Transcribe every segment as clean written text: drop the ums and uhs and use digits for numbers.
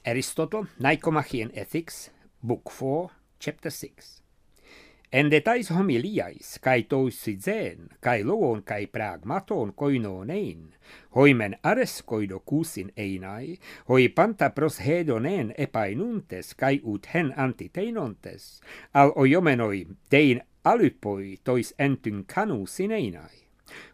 Aristotle, Nicomachean Ethics, Book 4, Chapter 6. Ende tais homiliais, kai toisizen, kai logon kai pragmaton koinonein, hoimen ares koido kusin einai, hoi panta pros hedonen epainuntes, kai ut hen antiteinontes, al ojomenoi dein alypoi tois entyn kanusin einai.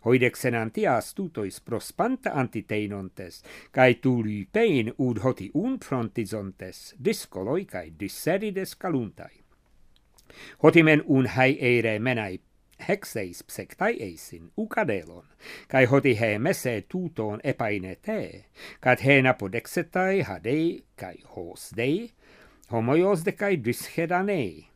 Hoidexen antias tutois prospanta antiteinontes, kai tulypein ud hoti unfrontizontes, discoloi kai disserides caluntai. Hotimen un hai eire menai hexeis psectai eisin, ucadelon, kai hoti he mese tuton epainete, cat he napodexetai hadei kai hos dei, homoios de kai dyshedanei.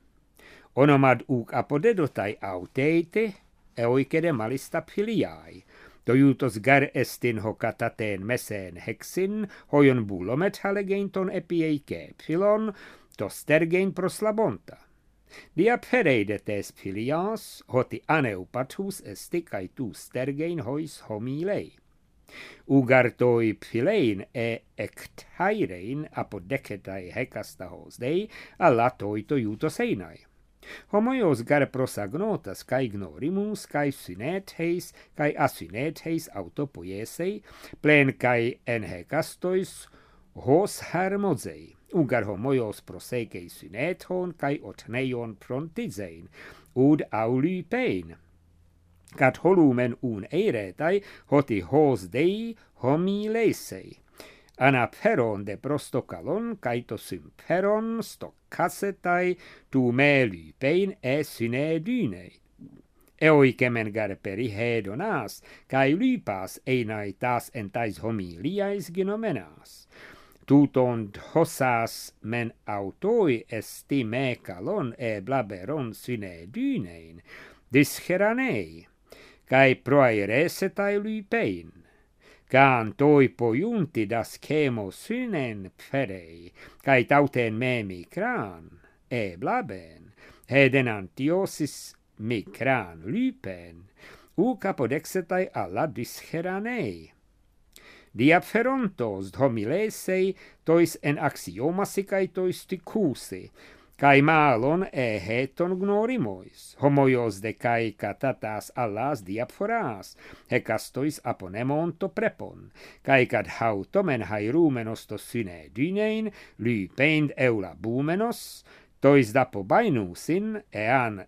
Onomad uc apodedotai auteite, eoicede malista filiai, doiutos gar estin hocataten meseen hexin, hoion bulomet halegeinton epieike philon, tostergein proslabonta. Dia pereidetes filias, hoti aneupatus esti kai tu stergein hois homilei. Ugartoi philein ectairein apodecetai hecastahos dei, allatoi toiutos einai. Homoios gar prosagnotas kai ignorimus kai synetheis kai asynetheis autopoiesei, plen kai enhecastois hos hermozei. Ugar homoios prosegei synethon kai otneion frontizein, ud aulypein. Cat holumen un eiretai hoti hos dei homileisei. Anaperon de prostokalon kaito symperon stokkasetai tu me lypein synedynei. Eoikemen gar perihedonas, kai lypas einai tas entais homiliais ginomenas. Tuton hossas men autoi esti me calon blaberon synedynein, disheranei, kai proairesetai lypein. Can toi pojunti das chemo synen pferei, kai tauten me micran, blaben, heden antiosis micran lypen, capodexetai alla disheranei. Diapferontos homilesei tois en axiomasicae tois ticusi, kai malon heton gnorimois, homoios de kai catatas allas diaphoras, hecastois aponemon to prepon, kai cad hautomen hairumenos to synedynein, lypeind eulabumenos, tois dapobainusin ean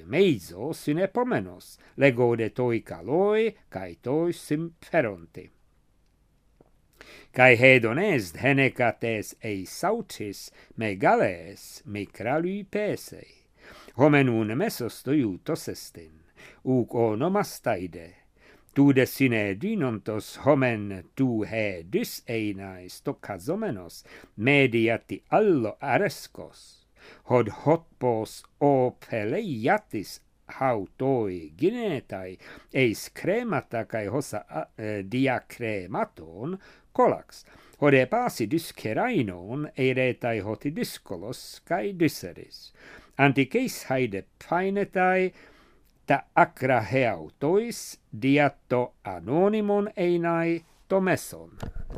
meizo synepomenos, legode toi caloi, kai tois sympheronti. Kai hedonest henecates sautis megales micralypesei. Homen un mesos toiutos estin, uc onomastaide. Tu de synedynontos homen tu hedys einais tocazomenos, mediati allo arescos, hod hotpos peleiatis hautoi ginetai, eis cremata kai hossa diacrematon, colax, hode pasi dyscerainon eiretai hoti dyskolos kai dyseris. Anticeis haide painetai ta acra heautois diatto anonymon einai to meson.